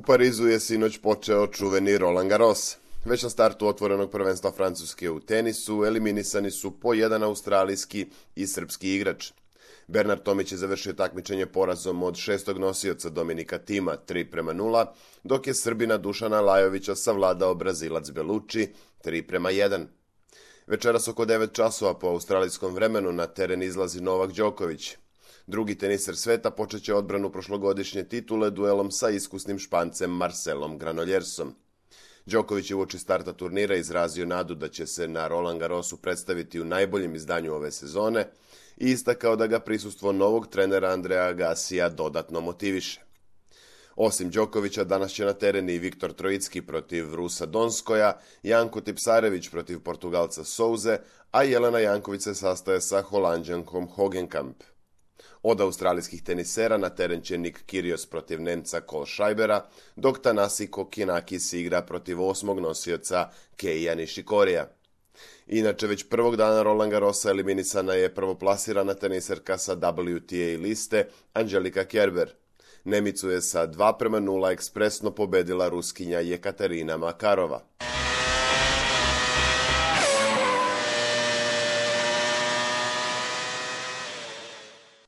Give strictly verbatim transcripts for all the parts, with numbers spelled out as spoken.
Parizu je sinoć počeo čuveni Roland Garros. Već na startu otvorenog prvenstva Francuske u tenisu eliminisani su po jedan australijski i srpski igrač. Bernard Tomić je završio takmičenje porazom od šestog nosioca Dominika Tima tri prema nula, dok je Srbina Dušana Lajovića savladao Brazilac Belucci tri prema jedan. Večeras oko devet časova po australijskom vremenu na teren izlazi Novak Đoković. Drugi teniser sveta počeće odbranu prošlogodišnje titule duelom sa iskusnim Špancem Marcelom Granoljersom. Đoković je uoči starta turnira izrazio nadu da će se na Roland Garrosu predstaviti u najboljem izdanju ove sezone i istakao da ga prisustvo novog trenera Andrea Agassija dodatno motiviše. Osim Đokovića, danas će na teren i Viktor Trojicki protiv Rusa Donskoja, Janko Tipsarević protiv Portugalca Souze, a Jelena Janković se sastaje sa Holanđankom Hogenkamp. Od australijskih tenisera na teren će Nick Kyrgios protiv Nemca Kohlscheibera, dok Thanasi Kokkinakis igra protiv osmog nosioca Keija Nishikorija. Inače, već prvog dana Roland Garrosa eliminisana je prvoplasirana teniserka sa W T A liste Angelika Kerber. Nemicu je sa dva prema nula ekspresno pobedila Ruskinja Jekaterina Makarova.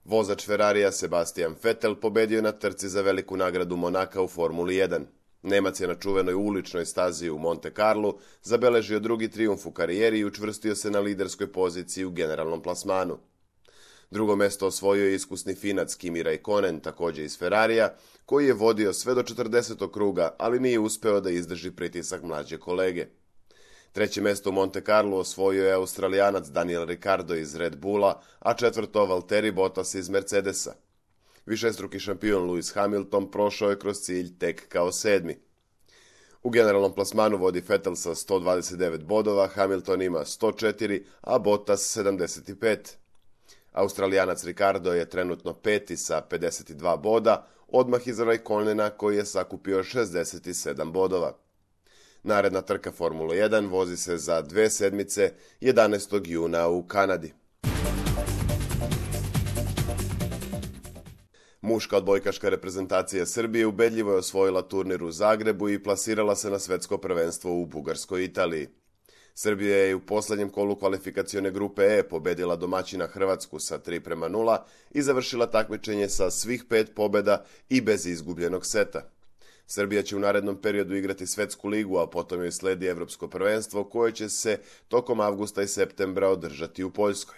Vozač Ferrarija Sebastian Vettel pobedio na trci za veliku nagradu Monaka u Formuli jedan. Nemac je na čuvenoj uličnoj stazi u Monte Carlu zabeležio drugi trijumf u karijeri i učvrstio se na liderskoj poziciji u generalnom plasmanu. Drugo mesto osvojio je iskusni Finac Kimi Räikkönen, također iz Ferrarija, koji je vodio sve do četrdesetog kruga, ali nije uspeo da izdrži pritisak mlađe kolege. Treće mesto u Monte Carlo osvojio je Australijanac Daniel Ricciardo iz Red Bulla, a četvrto Valtteri Bottas iz Mercedesa. Višestruki šampion Lewis Hamilton prošao je kroz cilj tek kao sedmi. U generalnom plasmanu vodi Vettel sa sto dvadeset devet bodova, Hamilton ima sto četiri, a Bottas sedamdeset pet. Australijanac Ricciardo je trenutno peti sa pedeset dva boda, odmah iza Räikkönena koji je sakupio šezdeset sedam bodova. Naredna trka Formula jedan vozi se za dve sedmice jedanaestog juna u Kanadi. Muška odbojkaška reprezentacija Srbije ubedljivo je osvojila turnir u Zagrebu i plasirala se na svetsko prvenstvo u Bugarskoj i Italiji. Srbija je u posljednjem kolu kvalifikacione grupe E pobedila domaćina Hrvatsku sa tri prema nula i završila takmičenje sa svih pet pobjeda i bez izgubljenog seta. Srbija će u narednom periodu igrati svetsku ligu, a potom joj sledi evropsko prvenstvo koje će se tokom avgusta i septembra održati u Poljskoj.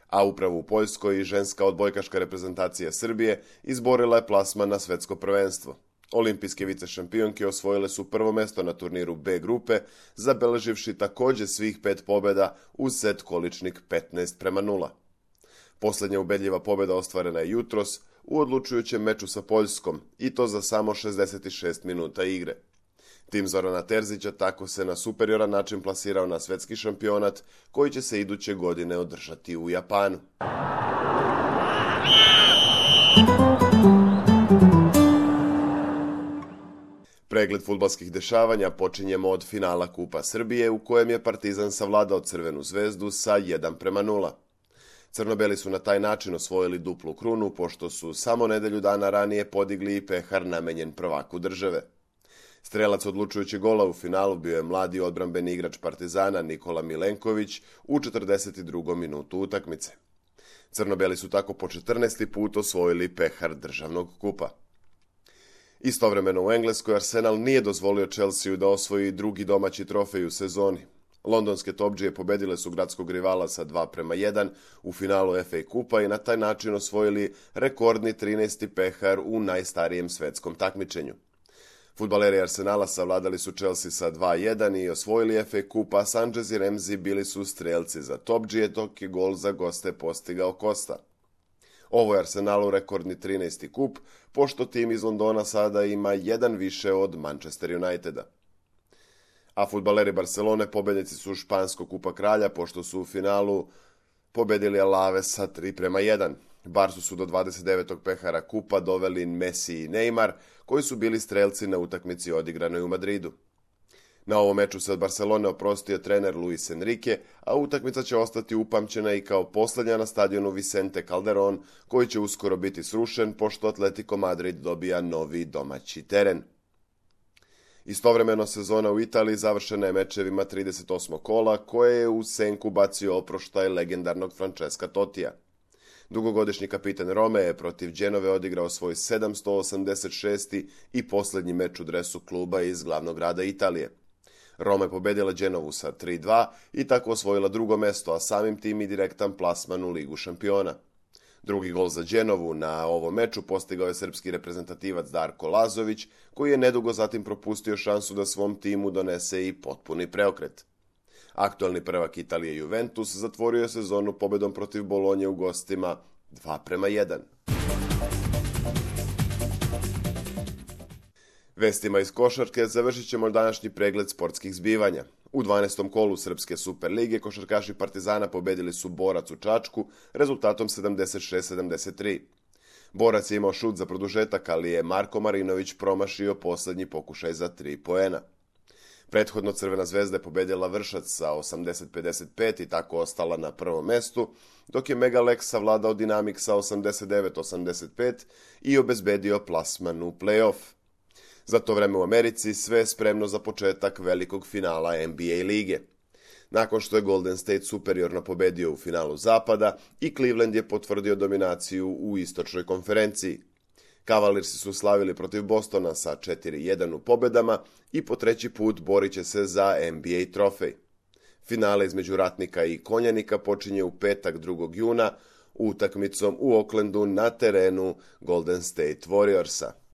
A upravo u Poljskoj i ženska odbojkaška reprezentacija Srbije izborila je plasman na svetsko prvenstvo. Olimpijske vicešampionke osvojile su prvo mesto na turniru B grupe, zabeleživši također svih pet pobjeda uz set količnik petnaest prema nula. Posljednja ubedljiva pobjeda ostvarena je jutros u odlučujućem meču sa Poljskom, i to za samo šezdeset šest minuta igre. Tim Zorana Terzića tako se na superioran način plasirao na svetski šampionat koji će se iduće godine održati u Japanu. Pregled fudbalskih dešavanja počinjemo od finala Kupa Srbije u kojem je Partizan savladao Crvenu zvezdu sa jedan prema nula. Crnobeli su na taj način osvojili duplu krunu, pošto su samo nedelju dana ranije podigli i pehar namenjen prvaku države. Strelac odlučujućeg gola u finalu bio je mladi odbrambeni igrač Partizana Nikola Milenković u četrdeset drugom minutu utakmice. Crnobeli su tako po četrnaesti put osvojili pehar državnog kupa. Istovremeno u Engleskoj Arsenal nije dozvolio Chelsea da osvoji drugi domaći trofej u sezoni. Londonske topdžije pobedile su gradskog rivala sa dva prema jedan u finalu F A kupa i na taj način osvojili rekordni trinaesti pehar u najstarijem svetskom takmičenju. Fudbaleri Arsenala savladali su Chelsea sa dva jedan i osvojili F A kup, a Sanchez i Ramsey bili su strelci za topdžije, dok je gol za goste postigao Costa. Ovo je Arsenalu rekordni trinaesti kup, pošto tim iz Londona sada ima jedan više od Manchester Uniteda. A fudbaleri Barcelone pobednici su Španskog kupa kralja, pošto su u finalu pobedili Alaves sa tri prema jedan. Barsu su do dvadeset devetog pehara kupa doveli Messi i Neymar, koji su bili strelci na utakmici odigranoj u Madridu. Na ovom meču se od Barcelone oprostio trener Luis Enrique, a utakmica će ostati upamćena i kao posljednja na stadionu Vicente Calderón, koji će uskoro biti srušen, pošto Atletico Madrid dobija novi domaći teren. Istovremeno sezona u Italiji završena je mečevima trideset osmog kola koje je u senku bacio oproštaj legendarnog Francesca Tottija. Dugogodišnji kapitan Rome je protiv Dženove odigrao svoj sedamsto osamdeset šesti i posljednji meč u dresu kluba iz glavnog grada Italije. Roma je pobedila Dženovu sa tri dva i tako osvojila drugo mesto, a samim tim i direktan plasman u Ligu šampiona. Drugi gol za Dženovu na ovom meču postigao je srpski reprezentativac Darko Lazović, koji je nedugo zatim propustio šansu da svom timu donese i potpuni preokret. Aktualni prvak Italije Juventus zatvorio je sezonu pobedom protiv Bolonje u gostima dva prema jedan. Vestima iz košarke završit ćemo današnji pregled sportskih zbivanja. U dvanaestom kolu Srpske Super lige košarkaši Partizana pobedili su Borac u Čačku rezultatom sedamdeset šest sedamdeset tri. Borac je imao šut za produžetak, ali je Marko Marinović promašio posljednji pokušaj za tri poena. Prethodno Crvena zvezda je pobedila Vršac sa osamdeset pedeset pet i tako ostala na prvom mestu, dok je Megalex savladao Dinamik sa osamdeset devet osamdeset pet i obezbedio plasman u play-off. Za to vreme u Americi sve je spremno za početak velikog finala N B A lige. Nakon što je Golden State superiorno pobedio u finalu Zapada i Cleveland je potvrdio dominaciju u istočnoj konferenciji. Cavaliersi su slavili protiv Bostona sa četiri jedan u pobedama i po treći put borit će se za N B A trofej. Finale između Ratnika i Konjanika počinje u petak drugog juna utakmicom u Oaklandu na terenu Golden State Warriorsa.